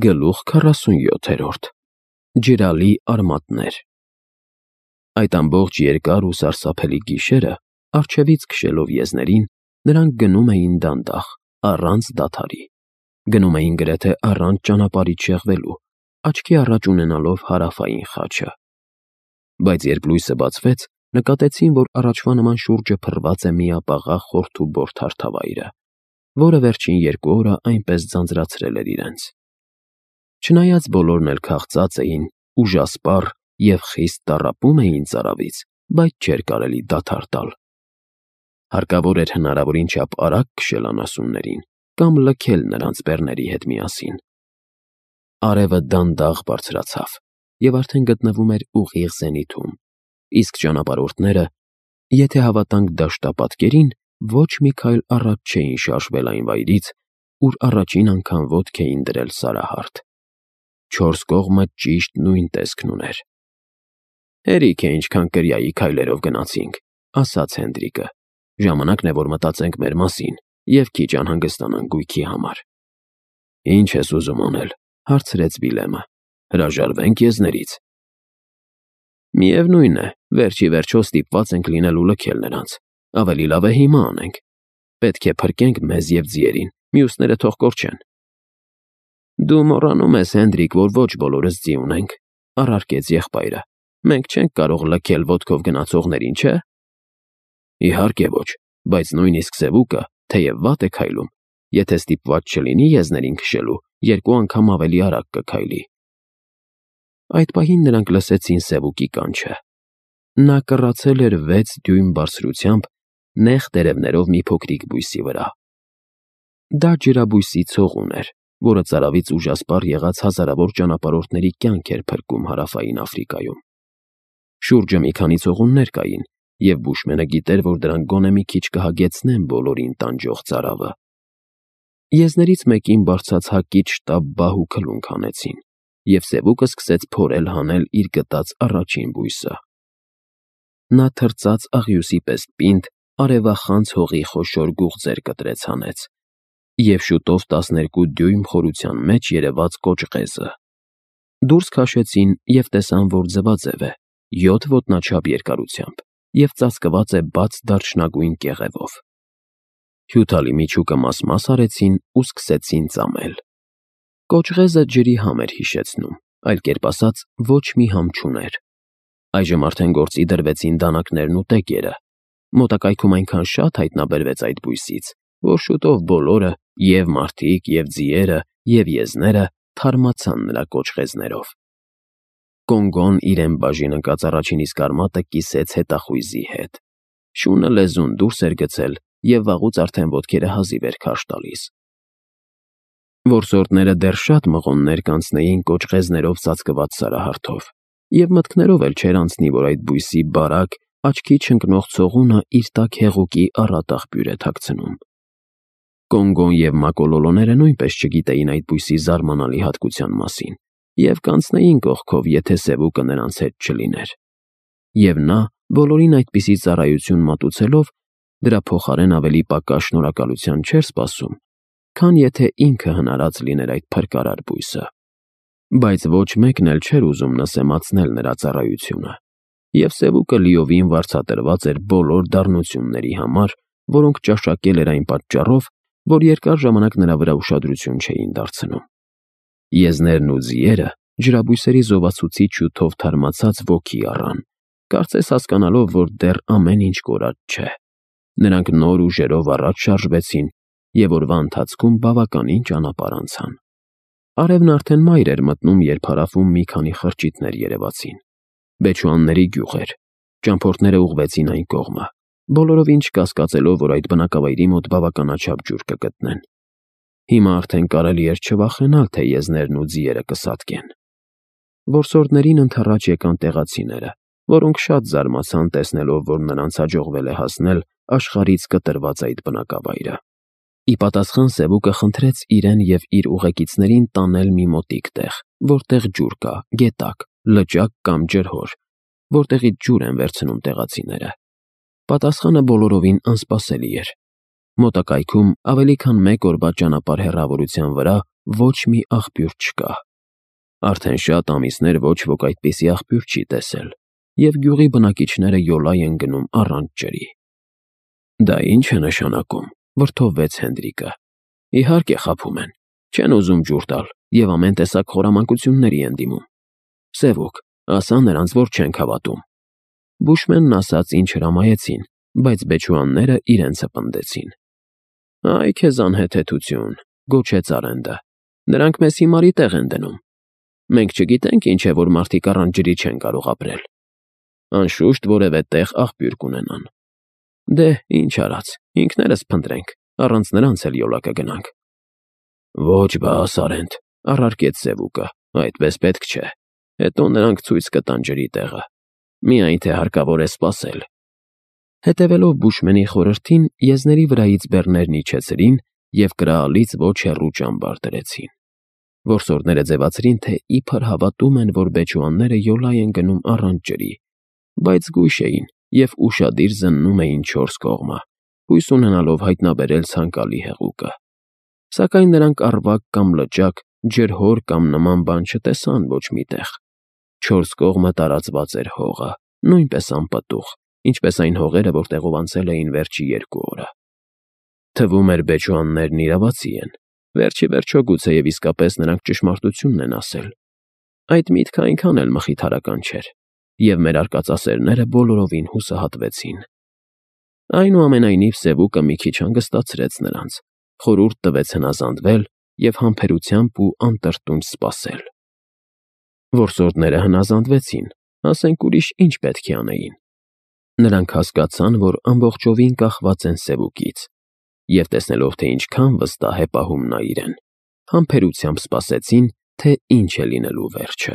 Գլուխ 47 Ջրալի արմատներ Այդ ամբողջ երկար ու սարսափելի գիշերը, առջևից քշելով եզներին, նրանք գնում էին դանդաղ, առանց դադարի։ Գնում էին գրեթե առանց ճանապարհից շեղվելու, աչքի առաջ ունենալով հարավային խաչը։ Բայց երբ լույսը բացվեց, նկատեցին, որ առաջվա նման շուրջը փռված է միապաղաղ խորթուբորթ հարթավայրը, որը վերջին 2 օրը այնպես ձանձրացրել էր իրենց։ Չնայած բոլորն էլ քաղծած էին, ուժասպառ և խիստ տառապում էին ծարավից, բայց չէր կարելի դադար տալ։ Հարկավոր էր հնարավորին չափ արագ քշել անասուններին կամ լքել նրանց բեռների հետ միասին։ Արևը դանդաղ բարձրացավ և արդեն գտնվում էր ուղիղ զենիթում, իսկ ճանապարհորդները, եթե հավատանք դաշտապատկերին, ոչ մի քայլ առաջ չէին շարժվել այն վայրից, ուր առաջին անգամ ոտք էին դրել սարահարթ։ 4 կողմը ճիշտ նույն տեսքն ուներ։ «Հերիք է ինչքան կրիայի քայլերով գնացինք», ասաց Հենդրիկը։ «Ժամանակն է, որ մտածենք մեր մասին և քիչ անհանգստանանք գույքի համար»։ «Ինչ ես ուզում անել», հարցրեց Վիլյամը։ «Հրաժարվենք եզներից»։ «Միևնույն է, վերջ ի վերջո ստիպված ենք լինել ու լքել նրանց։ Ավելի լավ է հիմա անենք։ Պետք է փրկենք մեզ և ձիերին, մյուսները թող կորչեն»։ «Դու մոռանում ես, Հենդրիկ, որ ոչ բոլորս ձի ունենք», առարկեց եղբայրը։ «Մենք չենք կարող լքել ոտքով գնացողներին, չէ՞»։ «Իհարկե ոչ, բայց նույնիսկ Սևուկը, թեև վատ է քայլում, եթե ստիպված չլինի եզներին քշելու, 2 անգամ ավելի արագ կքայլի»։ Այդ պահին նրանք լսեցին Սևուկի կանչը։ Նա կռացել էր 6 դյույմ բարձրությամբ, նեղ տերևներով մի փոքրիկ բույսի վրա։ Դա ջրաբույսի ցողուն էր, որը ծարավից ուժասպառ եղած հազարավոր ճանապարհորդների կյանք էր փրկում հարավային Աֆրիկայում։ Շուրջը մի քանի ցողուններ կային, և բուշմենը գիտեր, որ դրանք գոնե մի քիչ կհագեցնեն բոլորին տանջող ծարավը։ Եզներից մեկին բարձրացակից շտապ բահ ու քլունք հանեցին, և Սևուկը սկսեց փորել հանել իր գտած առաջին բույսը։ Նա թրծած աղյուսի պես պինդ, արևախանձ հողի խոշոր գուղձեր կտրեց հանեց, և շուտով 12 դյույմ խորության մեջ երևաց կոճղեզը։ Դուրս քաշեցին և տեսան, որ ձվաձև է, 7 ոտնաչափ երկարությամբ և ծածկված է բաց դարչնագույն կեղևով։ Հյութալի միջուկը մաս-մաս արեցին ու սկսեցին ծամել։ Կոճղեզը ջրի համ էր հիշեցնում, այլ կերպ ասած, ոչ մի համ չուներ։ Այժմ արդեն գործի դրվեցին դանակներն ու տեկերը։ Մոտակայքում այնքան շատ հայտնաբերվեց այդ բույսից, որ շուտով բոլորը, և մարդիկ, և ձիերը, և եզները, թարմացան նրա կոճղեզներով։ Կոնգոն իրեն բաժին ընկած առաջին իսկ արմատը կիսեց հետախույզի հետ։ Շունը լեզուն դուրս էր գցել, և վաղուց արդեն ոտքերը հազիվ էր քարշ տալիս։ Որսորդները դեռ շատ մղոններ կանցնեին կոճղեզներով ծածկված սարահարթով, և մտքներով էլ չէր անցնի, որ այդ բույսի բարակ, աչքի չընկնող ցողունը իր տակ հեղուկի առատ աղբյուր է թաքցնում։ Կոնգոն և մակոլոլոները նույնպես չգիտեին այդ բույսի զարմանալի հատկության մասին և կանցնեին կողքով, եթե Սևուկը նրանց հետ չլիներ։ Եվ նա, բոլորին այդպիսի ծառայություն մատուցելով, դրա փոխարեն ավելի պակաս շնորհակալության չէր սպասում, քան եթե ինքը հնարած լիներ այդ փրկարար բույսը։ Բայց ոչ մեկն էլ չէր ուզում նսեմացնել նրա ծառայությունը, և Սևուկը լիովին վարձատրված էր բոլոր դառնությունների համար, որոնք ճաշակել էր այն պատճառով, որ երկար ժամանակ նրա վրա ուշադրություն չէին դարձնում։ Եզներն ու ձիերը ջրաբույսերի զովացուցիչ հյութով թարմացած ոգի առան, կարծես հասկանալով, որ դեռ ամեն ինչ կորած չէ։ Նրանք նոր ուժերով առաջ շարժվեցին և օրվա ընթացքում բավականին ճանապարհ անցան։ Արևն արդեն մայր էր մտնում, երբ հարավում մի քանի խրճիթներ երևացին։ Բեչուանների գյուղ էր։ Ճամփորդները ուղղվեցին այն կողմը, բոլորովին չկասկածելով, որ այդ բնակավայրի մոտ բավականաչափ ջուր կգտնեն։ Հիմա արդեն կարելի էր չվախենալ, թե եզներն ու ձիերը կսատկեն։ Որսորդներին ընդառաջ եկան տեղացիները, որոնք շատ զարմացան տեսնելով, որ նրանց հաջողվել է հասնել աշխարհից կտրված այդ բնակավայրը։ Ի պատասխան Սևուկը խնդրեց իրեն և իր ուղեկիցներին տանել մի մոտիկ տեղ, որտեղ ջուր կա, գետակ, լճակ կամ ջրհոր, որտեղից ջուր են վերցնում տեղացիները։ Պատասխանը բոլորովին անսպասելի էր։ Մոտակայքում ավելի քան 1 օրվա ճանապարհ հեռավորության վրա ոչ մի աղբյուր չկա։ Արդեն շատ ամիսներ ոչ ոք այդպիսի աղբյուր չի տեսել, և գյուղի բնակիչները յոլա են գնում առանց ջրի։ Դա ի՞նչ է նշանակում, վրդովվեց Հենդրիկը։ Իհարկե խաբում են, չեն ուզում ջուր տալ և ամեն տեսակ խորամանկությունների են դիմում։ Սևուկ, ասա նրանց, որ չենք հավատում։ Բուշմենն ասաց, ինչ հրամայեցին, բայց բեչուանները իրենցը պնդեցին։ Այ քեզ անհեթեթություն, գոչեց Արենդը։ Նրանք մեզ հիմարի տեղ են դնում։ Մենք չգիտենք ինչ է, որ մարդիկ առանց ջրի չեն կարող ապրել։ Անշուշտ որևէ տեղ աղբյուր կունենան։ Դե, ինչ արած, ինքներս փնտրենք, առանց նրանց էլ յոլա կգնանք։ Ոչ բաս, Արենդ, առարկեց Սևուկը, այդպես պետք չէ։ Հետո նրանք ցույց կտան ջրի տեղը։ Միայն թե հարկավոր է սպասել։ Հետևելով Բուշմենի խորհրդին, եզների վրայից բեռներն իջեցրին և կրահալից ոչ հեռու ճամբար դրեցին։ Որսորդները ձևացրին, թե իբր հավատում են, որ բեչուանները յոլա են գնում առանց ջրի, բայց գույշ էին և ուշադիր զննում էին չորս կողմը, հույս ունենալով հայտնաբերել ցանկալի հեղուկը։ Սակայն նրանք առվակ կամ լճակ, ջրհոր կամ նման բան չտեսան ոչ մի տեղ։ Չորս կողմը տարածված էր հողը, նույնպես անպտուղ, ինչպես այն հողերը, որտեղով անցել էին վերջի 2 օրը։ Թվում էր բեչուաններն իրավացի են։ Վերջի վերջո գուցեև իսկապես նրանք ճշմարտությունն են ասել։ Այդ միտքը այնքան էլ մխիթարական չէր, և մեր արկածասերները բոլորովին հուսահատվեցին։ Այնուամենայնիվ Սևուկը մի քիչ հանգստացրեց նրանց, խորհուրդ տվեց հնազանդվել և համբերությամբ ու անտրտունջ սպասել։ Որսորդները հնազանդվեցին, ասենք ուրիշ ինչ պետք է անեին։ Նրանք հասկացան, որ ամբողջովին կախված են Սևուկից, և տեսնելով, թե ինչքան վստահ է պահում նա իրեն, համբերությամբ սպասեցին, թե ինչ է լինելու վերջը։